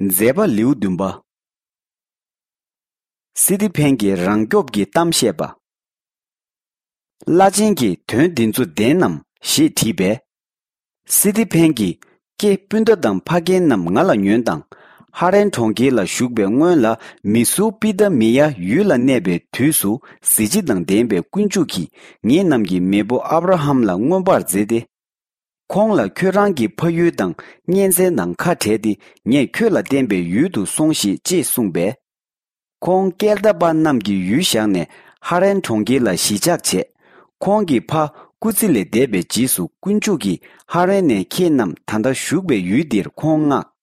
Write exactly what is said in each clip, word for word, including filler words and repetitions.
མཛད་པ་ལེའུ་བདུན་པ། སི་ཏི་ཕན་གྱིས་རང་སྐྱོབ་ཀྱི་གཏམ་བཤད་པ། བླ་ཆེན་གྱིས་དོན་འདི་ཚོ་བདེན་ནམ་ཞེས་དྲིས་པས། སི་ཏི་ཕན་གྱིས་ཀྱེ་སྤུན་ཟླ་དང་ཕ་རྒན་རྣམས་ང་ལ་ཉོན་དང་། ཧ་རན་གྲོང་ཁྱེར་ལ་བཞུགས་པའི་སྔོན་ལ་མི་སུར་པི་ད་མི་ཡ་ཡུལ་ལ་གནས་པའི་དུས་སུ་གཟི་བརྗིད་དང་ལྡན་པའི་དཀོན་མཆོག་གིས་ངེད་རྣམས་ཀྱི་མེས་པོ་ཨབ་ར་ཧམ་ལ་མངོན་པར་མཛད་དེ། ཁོང་ལ་ཁྱོད་རང་གི་ཕ་ཡུལ་དང་གཉེན་ཚན་དང་ཁ་བྲལ་ཏེ་ངས་ཁྱོད་ལ་བསྟན་པའི་ཡུལ་དུ་སོང་ཞིག་ཅེས་གསུངས་པས། ཁོང་ཀེལ་ད་པ་རྣམས་ཀྱི་ཡུལ་བཞག་ནས་ཧ་རན་གྲོང་ཁྱེར་ལ་གཞིས་ཆགས་བྱས། ཁོང་གི་ཕ་སྐུ་ཚེ་ལས་འདས་པའི་རྗེས་སུ་དཀོན་མཆོག་གིས་ཧ་རན་ནས་ཁྱེད་རྣམས་ད་ལྟ་བཞུགས་པའི་ཡུལ་འདིར་ཁོང་མངགས།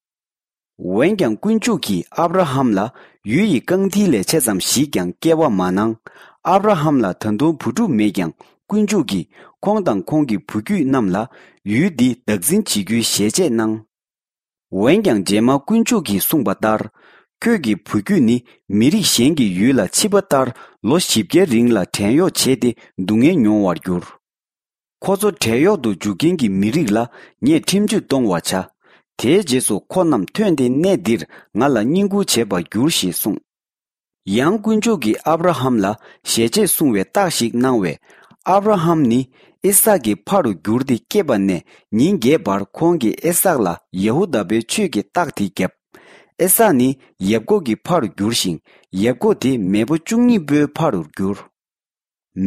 འོན་ཀྱང་དཀོན་མཆོག་གིས་ཨབ་ར་ཧམ་ལ་ཡུལ་ཡི་རྐང་མཐིལ་ལས་ཆེ་ཙམ་ཞིག་ཀྱང་སྐྱེ་བ་མ་གནང་། ཨབ་ར་ཧམ་ལ་ད་དུང་བུ་ཕྲུག་མེད་ཀྱང་དཀོན་མཆོག་གིས་ཁོང་དང་ཁོང་གི་བུ་རྒྱུད་རྣམས་ལ་ཡུལ་འདི་བདག་འཛིན་བྱེད་རྒྱུའི་ཞལ་ཆད་གནང་། འོན་ཀྱང་རྗེས་མ་དཀོན་མཆོག་གིས་གསུངས་པ་ལྟར། ཁྱོད་ཀྱི་བུ་རྒྱུད་ནི་མི་རིགས་གཞན་གྱི་ཡུལ་ལ་ཕྱི་པ་ལྟར་ལོ་བཞི་བརྒྱའི་རིང་ལ་བྲན་གཡོག་བྱས་ཏེ་སྡུག་བསྔལ་མྱོང་བར་འགྱུར། ཁོ་ཚོ་བྲན་གཡོག་ཏུ་འཇུག་མཁན་གྱི་མི་རིགས་ལ་ངས་ཁྲིམས་གཅོད་གཏོང་བར་བྱ། དེའི་རྗེས་སུ་ཁོ་རྣམས་ཐོན་ཏེ་གནས་འདིར་ང་ལ་བསྙེན་བཀུར་བྱེད་པར་འགྱུར་ཞེས་གསུངས། ཡང་དཀོན་མཆོག་གིས་ཨབ་ར་ཧམ་ལ་ཞལ་ཆད་གསུང་བའི་རྟགས་ཤིག་གནང་བས། ཨབ་ར་ཧམ་ནི་ཨི་སཱག་གི་ཕ་རུ་གྱུར་ཏེ་སྐྱེས་པ་ནས་ཉིན་བརྒྱད་བར་ཁོང་གིས་ཨི་སཱག་ལ་ཡ་ཧུ་དཱ་པའི་ཆོས་ཀྱི་རྟགས་དེ་བརྒྱབ། ཨི་སཱག་ནི་ཡབ་ཀོབ་ཀྱི་ཕ་རུ་གྱུར་ཞིང་ཡབ་ཀོབ་དེ་མེས་པོ་བཅུ་གཉིས་པོའི་ཕ་རུ་གྱུར།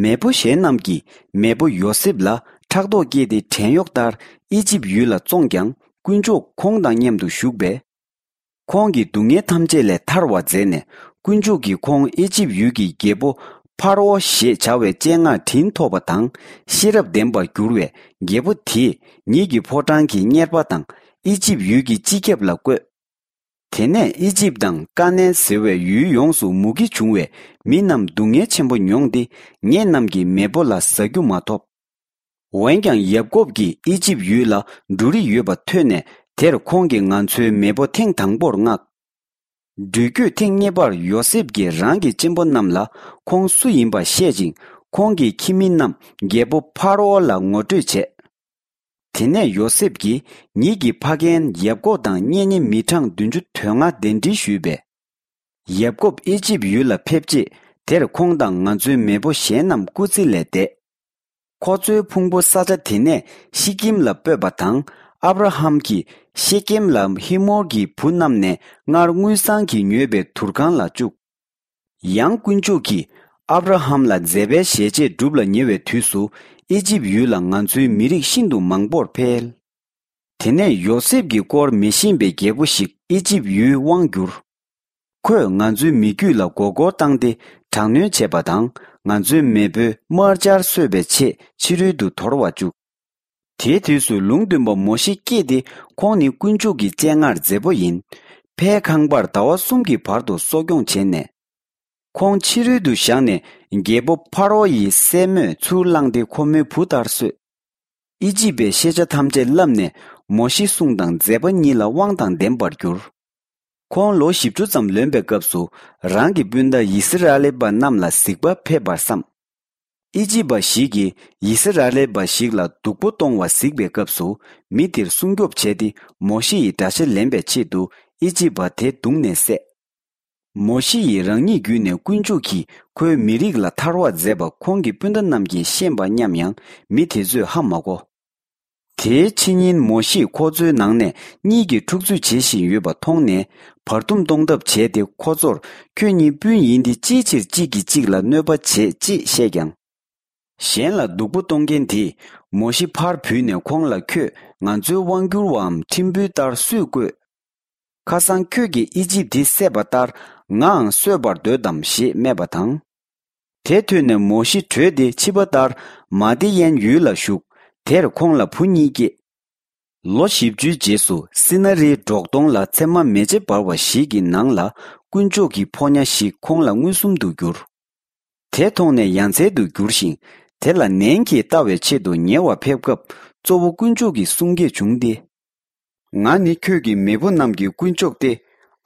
མེས་པོ་གཞན་རྣམས་ཀྱིས་མེས་པོ་ཡོ་སེབ་ལ་ཕྲག་དོག་སྐྱེས་ཏེ་བྲན་གཡོག་ལྟར་ཨི་ཇིབ་ཡུལ་ལ་བཙོངས་ཀྱང་དཀོན་མཆོག་ཁོང་དང་མཉམ་དུ་བཞུགས་པས། ཁོང་གི་སྡུག་བསྔལ་ཐམས་ཅད་ལས་ཐར་བར་མཛད་ནས་དཀོན་མཆོག་གིས་ཁོང་ཨི་ཇིབ་ཡུལ་གྱི་རྒྱལ་པོ་ཕར་ཨོ་ཞེས་བྱ་བའི་སྤྱན་སྔར་དྲིན་ཐོབ་པ་དང་ཤེས་རབ་ལྡན་པར་གྱུར་བས། རྒྱལ་པོ་དེས་ཉིད་ཀྱི་ཕོ་བྲང་གི་གཉེར་པ་དང་ཨི་ཇིབ་ཡུལ་གྱི་སྤྱི་ཁྱབ་ལ་བསྐོས། དེ་ནས་ཨི་ཇིབ་དང་ཀ་ནན་ཟེར་བའི་ཡུལ་ཡོངས་སུ་མུ་གེ་བྱུང་བས་མི་རྣམས་སྡུག་བསྔལ་ཆེན་པོ་མྱོང་སྟེ་ངེད་རྣམས་ཀྱི་མེས་པོ་ལ་ཟ་རྒྱུ་མ་ཐོབ། འོན་ཀྱང་ཡབ་ཀོབ་ཀྱིས་ཨི་ཇིབ་ཡུལ་ལ་འབྲུ་རིགས་ཡོད་པ་ཐོས་ནས་དེར་ཁོང་གིས་ང་ཚོའི་མེས་པོ་ཐེངས་དང་པོར་མངགས། འགྲུལ་སྐྱོད་ཐེངས་གཉིས་པར་ཡོ་སེབ་ཀྱིས་རང་གི་གཅེན་པོ་རྣམས་ལ་ཁོང་སུ་ཡིན་པ་བཤད་ཅིང་ཁོང་གི་ཁྱིམ་མི་རྣམས་རྒྱལ་པོ་ཕ་རོ་ལ་ངོ་སྤྲོད་བྱས། དེ་ནས་ཡོ་སེབ་ཀྱིས་ཉིད་ཀྱི་ཕ་རྒན་ཡབ་ཀོབ་དང་གཉེན་ཉེ་མི་གྲངས་བདུན་ཅུ་དོན་ལྔ་གདན་འདྲེན་ཞུས་པས། ཡབ་ཀོབ་ཨི་ཇིབ་ཡུལ་ལ་ཕེབས་རྗེས་དེར་ཁོང་དང་ང་ཚོའི་མེས་པོ་གཞན་རྣམས་སྐུ་ཚེ་ལས་འདས། ཁོ་ཚོའི་ཕུང་པོ་ས་ཆ་དེ་ནས་ཤི་ཀིམ་ལ་སྤོས་པ་དང་ཨབ་ར་ཧམ་གྱིས་ཤེ་ཀེམ་ལ་ཧི་མོར་གྱི་བུ་རྣམས་ནས་སྔར་དངུལ་སྲང་གིས་ཉོས་པའི་དུར་ཁང་ལ་བཅུག། ཡང་དཀོན་མཆོག་གིས་ཨབ་ར་ཧམ་ལ་མཛད་པའི་ཞལ་ཆད་སྒྲུབ་ལ་ཉེ་བའི་དུས་སུ་ཨི་ཇིབ་ཡུལ་ལ་ང་ཚོའི་མི་རིགས་ཤིན་ཏུ་མང་པོར་འཕེལ། དེ་ནས་ཡོ་སེབ་ཀྱི་སྐོར་མི་ཤེས་པའི་རྒྱལ་པོ་ཞིག་ཨི་ཇིབ་ཡུལ་དབང་བསྒྱུར། ཁོས་ང་ཚོའི་མི་རྒྱུད་ལ་མགོ་སྐོར་བཏང་སྟེ་དྲག་གནོན་བྱས་པ་དང་ང་ཚོའི་མེས་པོའི་དམར་འབྱར་གསོད་པའི་ཆེད་ཕྱི་རོལ་དུ་དོར་བ་བཅུག། དེའི་དུས་སུ་ལུང་སྟོན་པ་མོ་ཤེ་སྐྱེས་ཏེ་ཁོང་ནི་དཀོན་མཆོག་གི་སྤྱན་སྔར་མཛེས་པོ་ཡིན། ཕའི་ཁང་པར་ཟླ་བ་གསུམ་གྱི་བར་དུ་གསོ་སྐྱོང་བྱས་ནས། ཁོང་ཕྱི་རོལ་དུ་བཞག་ནས་རྒྱལ་པོ་ཕ་རོ་ཡི་སྲས་མོས་ཚུར་བླངས་ཏེ་ཁོ་མོའི་བུ་ལྟར་གསོས། ཨི་ཇིབ་པའི་ཤེས་བྱ་ཐམས་ཅད་བསླབས་ནས་མོ་ཤེ་གསུང་དང་མཛད་པ་གཉིས་ལ་དབང་དང་ལྡན་པར་གྱུར། ཁོང་ལོ་བཞི་བཅུ་ཙམ་ལོན་པའི་སྐབས་སུ་རང་གི་སྤུན་ཟླ་ཡི་སི་ར་ཨེལ་པ་རྣམས་ལ་གཟིགས་པ་ཕེབས་པར་བསམ། ཨི་ཇིབ་པ་ཞིག་གིས་ཡི་སི་ར་ཨེལ་པ་ཞིག་ལ་སྡུག་པོ་གཏོང་བ་གཟིགས་པའི་སྐབས་སུ་མི་དེར་སྲུང་སྐྱོབ་བྱས་ཏེ་མོ་ཤེ་ཡི་དགྲ་ཤ་ལེན་པའི་ཆེད་དུ་ཨི་ཇིབ་པ་དེ་བརྡུངས་ནས་བསད། མོ་ཤེ་ཡིས་རང་ཉིད་བརྒྱུད་ནས་དཀོན་མཆོག་གིས་ཁོའི་མི་རིགས་ལ་ཐར་བ་མཛད་པ་ཁོང་གི་སྤུན་ཟླ་རྣམས་ཀྱིས་ཤེས་པ་སྙམ་ཡང་མི་དེ་ཚོས་ཧ་མ་གོ། དེའི་ཕྱི་ཉིན་མོ་ཤེས་ཁོ་ཚོའི་ནང་ནས་གཉིས་ཀྱིས་འཁྲུག་རྩོད་བྱེད་བཞིན་ཡོད་པ་མཐོང་ནས་བར་འདུམ་གཏོང་ཐབས་བྱས་ཏེ་ཁོ་ཚོར་ཁྱོད་གཉིས་སྤུན་ཡིན་ཏེ་ཅིའི་ཕྱིར་གཅིག་གིས་གཅིག་ལ་གནོད་པ་བྱེད་ཅེས་བཤད་ཀྱང་། གཞན་ལ་སྡུག་པོ་གཏོང་མཁན་དེས་མོ་ཤེ་ཕར་བུད་ནས་ཁོང་ལ་ཁྱོད་ང་ཚོའི་དབང་བསྒྱུར་བའམ་ཁྲིམས་དཔོན་ལྟར་སུས་བསྐོས། ཁ་སང་ཁྱོད་ཀྱིས་ཨི་ཇིབ་དེ་བསད་པ་ལྟར་ངའང་གསོད་པར་འདོད་དམ་ཞེས་སྨྲས་པ་དང་། དེ་ཐོས་ནས་མོ་ཤེ་བྲོས་ཏེ་ཕྱི་པ་ལྟར་མ་དི་ཡན་ཡུལ་ལ་བཞུགས། དེར་ཁོང་ལ་བུ་གཉིས་སྐྱེས། ལོ་བཞི་བཅུའི་རྗེས་སུ་སི་ན་རིའི་འབྲོག་སྟོང་ལ་ཚེར་མ་མེ་ལྕེ་འབར་བ་ཞིག་གི་ནང་ལ་དཀོན་མཆོག་གི་ཕོ་ཉ་ཞིག་ཁོང་ལ་མངོན་སུམ་དུ་གྱུར། དེ་མཐོང་ནས་ཡ་མཚན་དུ་གྱུར་ཞིང་དེ་ལ་ནན་གྱིས་ལྟ་བའི་ཆེད་དུ་ཉེ་བར་ཕེབས་སྐབས་གཙོ་བོ་དཀོན་མཆོག་གི་གསུང་སྐད་བྱུང་སྟེ། ང་ནི་ཁྱོད་ཀྱི་མེས་པོ་རྣམས་ཀྱི་དཀོན་མཆོག་སྟེ།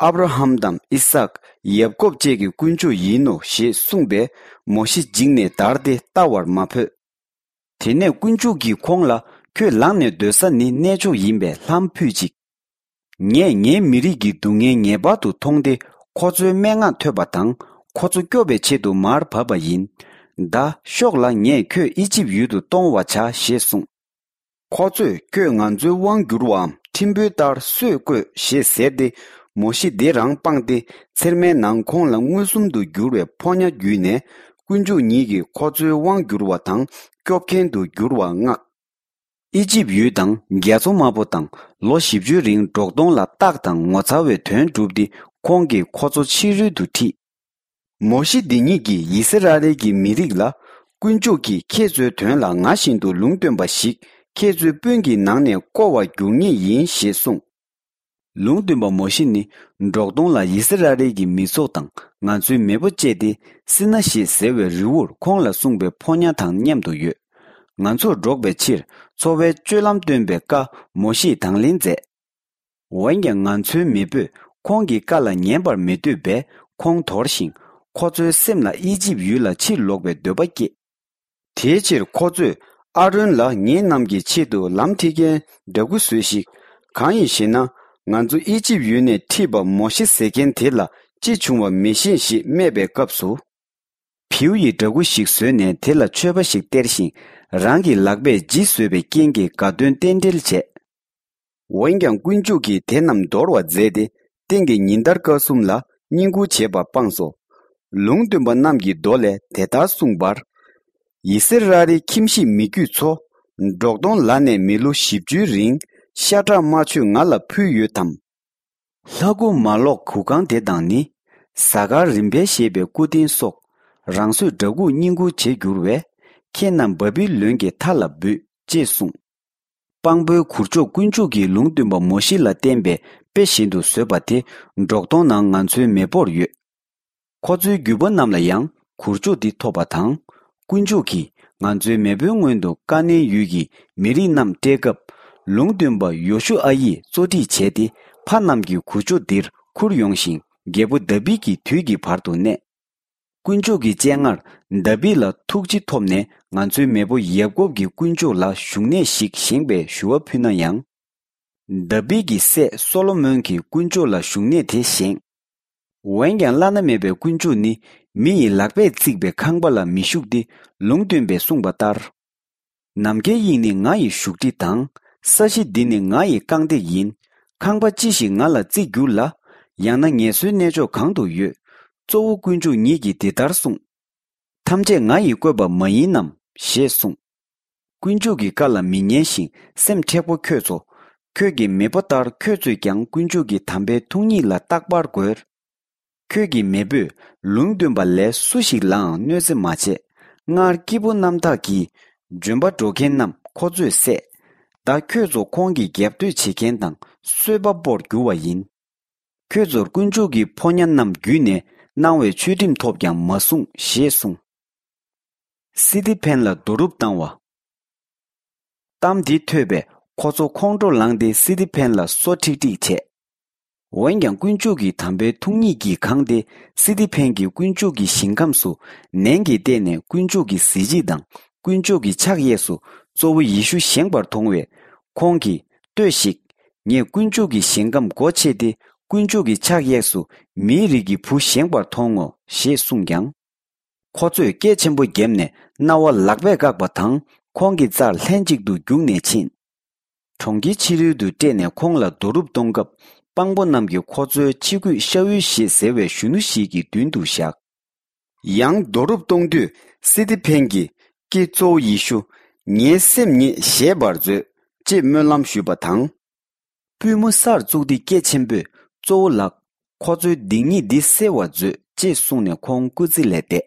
ཨབ་ར་ཧམ་དང་ཨི་སཱག་ཡབ་ཀོབ་བཅས་ཀྱི་དཀོན་མཆོག་ཡིན་ནོ་ཞེས་གསུངས་པས་མོ་ཤེ་འཇིགས་ནས་འདར་ཏེ་ལྟ་བར་མ་ཕོད། དེ་ནས་དཀོན་མཆོག་གིས་ཁོང་ལ་ཁྱོད་ལངས་ནས་སྡོད་ས་ནི་གནས་མཆོག་ཡིན་པས་ལྷམ་ཕུད་ཅིག། ངས་ངའི་མི་རིགས་ཀྱི་སྡུག་བསྔལ་ངེས་པར་དུ་མཐོང་སྟེ། ཁོ་ཚོའི་སྨྲེ་སྔགས་ཐོས་པ་དང་། ཁོ་ཚོ་སྐྱོབ་པའི་ཆེད་དུ་མར་བབས་པ་ཡིན། ད་ཤོག་ལ། ངས་ཁྱོད་ཨི་ཇིབ་ཡུལ་དུ་གཏོང་བར་བྱ་ཞེས་གསུངས། ཁོ་ཚོས། ཁྱོད་ང་ཚོའི་དབང་བསྒྱུར་བའམ་ཁྲིམས་དཔོན་ལྟར་སྲོལ་བཀོད་ཞེས་ཟེར་ཏེ། མོ་ཤེ་དེ་རང་སྤངས་ཏེ། ཚེར་མའི་ནང་ཁོང་ལ་མངོན་སུམ་དུ་གྱུར་བའི་ཕོ་ཉ་བརྒྱུད་ནས། དཀོན་མཆོག་ཉིད་ཀྱིས་ཁོ་ཚོའི་དབང་བསྒྱུར་བ་དང་སྐྱོབ་མཁན་དུ་འགྱུར་བ་མངགས། ཨི་ཇིབ་ཡུལ་དང་རྒྱ་མཚོ་དམར་པོ་དང་། ལོ་བཞི་བཅུའི་རིང་འབྲོག་སྟོང་ལ་རྟགས་དང་ངོ་མཚར་བའི་དོན་བསྒྲུབས་ཏེ། ཁོང་གིས་ཁོ་ཚོ་ཕྱི་རོལ་དུ་ཁྲིད། མོ་ཤེ་འདི་ཉིད་ཀྱིས་ཡི་སི་ར་ཨེལ་གྱི་མི་རིགས་ལ། དཀོན་མཆོག་གིས་ཁྱེད་ཚོའི་དོན་ལ་ང་བཞིན་དུ་ལུང་སྟོན་པ་ཞིག་ཁྱེད་ཚོའི་སྤུན་གྱི་ནང་ནས་བསྐོ་བར་འགྱུར་ངེས་ཡིན་ཞེས་གསུངས། ལུང་སྟོན་པ་མོ་ཤེ་ནི། འབྲོག་སྟོང་ལ་ཡི་སི་ར་ཨེལ་གྱི་མི་ཚོགས་དང་། ང་ཚོའི་མེས་པོ་བཅས་ཏེ། སི་ན་ཞེས་ཟེར་བའི་རི་བོར་ཁོང་ལ་གསུངས་པའི་ཕོ་ཉ་དང་མཉམ་དུ་ཡོད། ང་ཚོར་སྒྲོག་པའི་ཕྱིར། འཚོ་བའི་སྤྱོད་ལམ་སྟོན་པའི་བཀའ་མོ་ཤེས་དང་ལེན་མཛད། འོན་ཀྱང་། ང་ཚོའི་མེས་པོས་ཁོང་གི་བཀའ་ལ་ཉན་པར་མི་འདོད་པས། ཁོང་དོར་ཞིང་། ཁོ་ཚོའི་སེམས་ལ་ཨི་ཇིབ་ཡུལ་ལ་ཕྱིར་ལོག་པའི་འདོད་པ་སྐྱེས། དེའི་ཕྱིར་ཁོ་ཚོས་ཨ་རོན་ལ། ངེད་རྣམས་ཀྱི་ཆེད་དུ་ལམ་ཁྲིད་མཁན་འདྲ་སྐུ་བཟོས་ཤིག། གང་ཡིན་ཞེ་ན། ང་ཚོ་ཨི་ཇིབ་ཡུལ་ནས་ཁྲིད་པ་མོ་ཤེ་ཟེར་མཁན་དེ་ལ་ཅི་བྱུང་བ་མི་ཤེས་ཞེས་སྨྲས་པའི་སྐབས་སུ། བེའུ་ཡི་འདྲ་སྐུ་ཞིག་བཟོས་ནས། དེ་ལ་མཆོད་པ་ཞིག་སྟེར་ཞིང་། རང་གི་ལག་པས་ཇི་བཟོས་པའི་རྐྱེན་གྱིས་དགའ་སྟོན་རྟེན་འབྲེལ་བྱས། འོན་ཀྱང་། དཀོན་མཆོག་གིས་དེ་རྣམས་འདོར་བར་མཛད་དེ། སྟེང་གི་ཉིན་ལྟར་དཀར་གསུམ་ལ་བསྙེན་བཀུར་བྱེད་པ་སྤངས་སོ། ལུང་སྟོན་པ་རྣམས་ཀྱི་མདོ་ལས་དེ་ལྟར་གསུངས་པར། ཡི་སི་ར་ཨེལ་ཁྱིམ་གཞིས་མི་རྒྱུད་ཚོ། འབྲོག་སྟོང་ལ་ནས་མི་ལོ་བཞི་བཅུའི་རིང་ཤ་ཁྲག་དམར་མཆོད་ང་ལ་ཕུལ་ཡོད་དམ། ལྷ་སྐུ་མ་ལོག་གུར་ཁང་དེ་དང་ནི། གཟའ་སྐར་རིམ་པས་བཞད་པའི་སྐུ་རྟེན་སོགས། རང་བཟོས་འདྲ་སྐུ་བསྙེན་བཀུར་བྱེད་འགྱུར་བས། ཁྱེད་རྣམས་བ་བི་ལོན་གྱི་མཐའ་ལ་འབུད། ཅེས་གསུངས། དཔང་པོའི་གུར་མཆོག། དཀོན་མཆོག་གིས་ལུང་སྟོན་པ་མོ་ཤེ་ལ་བསྟན་པའི་དཔེ་བཞིན་དུ་བཟོས་པ་དེ། འབྲོག་སྟོང་ནང་ང་ཚོའི་མེས་པོར་ཡོད། ཁོ་ཚོའི་རྒྱུད་པ་རྣམས་ལ་ཡང་གུར་མཆོག་འདི་ཐོབ་པ་དང་། དཀོན་མཆོག་གིས་ང་ཚོའི་མེས་པོའི་སྔོན་དུ་ཀ་ནན་ཡུལ་གྱི་མི་རིགས་རྣམས་བསྐྲད་སྐབས། ལུང་སྟོན་པ་ཡོ་ཤུ་ཨ་ཡིས་གཙོ་ཁྲིད་བྱས་ཏེ། ཕ་རྣམས་ཀྱི་གུར་མཆོག་འདིར་ཁུར་ཡོང་ཞིང་། རྒྱལ་པོ་དཱ་བིད་ཀྱི་དུས་ཀྱི་བར་དུ་གནས། དཀོན་མཆོག་གི་སྤྱན་སྔར་དཱ་བིད་ལ་ཐུགས་རྗེ་ཐོབ་ནས། ང་ཚོའི་མེས་པོ་ཡ་ཀོབ་ཀྱི་དཀོན་མཆོག་ལ་བཞུགས་གནས་ཤིག་བཞེངས་པའི་ཞུ་བ་ཕུལ་ན་ཡང་། དཱ་བིད་ཀྱི་སྲས་སོ་ལོ་མོན་གྱིས་དཀོན་མཆོག་ལ་བཞུགས་གནས་དེ་བཞེངས། འོན་ཀྱང་། བླ་ན་མེད་པའི་དཀོན་མཆོག་ནི་མི་ཡི་ལག་པས་བརྩིགས་པའི་ཁང་པ་ལ་མི་བཞུགས་ཏེ། ལུང་སྟོན་པས་གསུངས་པ་ལྟར། ནམ་མཁའི་དབྱིངས་ནི་ང་ཡི་བཞུགས་ཁྲི་དང་། ས་གཞི་འདི་ནི་ང་ཡི་རྐང་སྟེགས་ཡིན། ཁང་པ་ཅི་ཞིག་ང་ལ་བརྩིགས་གྱུར་ལ། ཡང་ན་ངལ་གསོའི་གནས་མཆོག་གང་དུ་ཡོད། གཙོ་བོ་དཀོན་མཆོག་ཉིད་ཀྱིས་འདི་ལྟར་གསུངས། ཐམས་ཅད་ང་ཡིས་བཀོད་པ་མ་ཡིན་ནམ། ཞེས་གསུངས། དཀོན་མཆོག་གི་བཀའ་ལ་མི་ཉན་ཞིང་སེམས་མཁྲེགས་པོ་ཁྱོད་ཚོ། ཁྱོད་ཀྱི་མེས་པོ་ལྟར་ཁྱོད་ཚོས་ཀྱང་དཀོན་མཆོག་གི་དམ་པའི་ཐུགས་ཉིད་ལ་རྟག་པར་རྒོལ། ཁྱོད་ཀྱི་མེས་པོས་ལུང་སྟོན་པ་ལས་སུ་ཞིག་ལའང་གནོད་འཚེ་མ་བྱས། སྔར་སྐྱེས་བུ་རྣམ་དག་གིས་ལྗོན་པ་དཀྲོག་མཁན་རྣམས་ཁོ་ཚོས་བསད། ད་ཁྱོད་ཚོ་ཁོང་གི་རྒྱབ་གཏོད་བྱེད་མཁན་དང་གསོད་པ་པོར་འགྱུར་བ་ཡིན། ཁྱོད་ཚོར་དཀོན་མཆོག་གི་ཕོ་ཉ་རྣམས་བརྒྱུད་ནས་གནང་བའི་ཆོས་ཁྲིམས་ཐོབ་ཀྱང་མ་སྲུང་ཞེས་གསུངས། སི་ཏི་ཕན་ལ་རྡོ་རུབ་བཏང་བ། གཏམ་འདི་ཐོས་པས་ཁོ་ཚོ་ཁོང་ཁྲོ་ལངས་ཏེ། སི་ཏི་ཕན་ལ་སོ་ཁྲིག་ཁྲིག་བྱས། འོན་ཀྱང་། དཀོན་མཆོག་གི་དམ་པའི་ཐུགས་ཉིད་ཀྱིས་གང་སྟེ། སི་ཏི་ཕན་གྱིས་དཀོན་མཆོག་གི་ཞིང་ཁམས་སུ་ནན་གྱིས་བལྟས་ནས། དཀོན་མཆོག་གི་གཟི་བརྗིད་དང་། དཀོན་མཆོག་གི་ཕྱག་གཡས་སུ་གཙོ་བོ་ཡེ་ཤུ་བཞེངས་པར་མཐོང་བས། ཁོང་གིས། ལྟོས་ཤིག། ངས་དཀོན་མཆོག་གི་ཞིང་ཁམས་སྒོ་ཕྱེ་སྟེ། དཀོན་མཆོག་གི་ཕྱག་གཡས་སུ་མིའི་རིགས་ཀྱི་བུ་བཞེངས་པར་མཐོང་ངོ་། ཞེས་གསུངས་ཀྱང་། ཁོ་ཚོས་སྐད་ཆེན་པོ་བརྒྱབ་ནས་རྣ་བ་ལག་པས་བཀག་པ་དང་། ཁོང་གི་རྩར་ལྷན་ཅིག་ཏུ་རྒྱུགས་ནས་ཕྱིན། གྲོང་ཁྱེར་ཕྱི་རོལ་དུ་བསྐྲད་ནས་ཁོང་ལ་རྡོ་རུབ་གཏོང་སྐབས། དཔང་པོ་རྣམས་ཀྱིས་ཁོ་ཚོའི་ཕྱི་གོས་ཤ་ཨུལ་ཞེས་ཟེར་བའི་གཞོན་ནུ་ཞིག་གི་མདུན་དུ་བཞག། ཡང་རྡོ་རུབ་གཏོང་དུས། སི་ཏི་ཕན་གྱིས། ཀྱེ་གཙོ་བོ་ཡེ་ཤུ། ངའི་སེམས་ཉིད་བཞེས་པར་མཛོད། ཅེས་སྨོན་ལམ་ཞུས་པ་དང་། པུས་མོ་སར་བཙུགས་ཏེ་སྐད་ཆེན་པོས། གཙོ་བོ་ལགས། ཁོ་ཚོའི་སྡིག་ཉེས་འདི་སེལ་བར་མཛོད། ཅེས་གསུངས་ནས་ཁོང་སྐུ་ཚེ་ལས་འདས།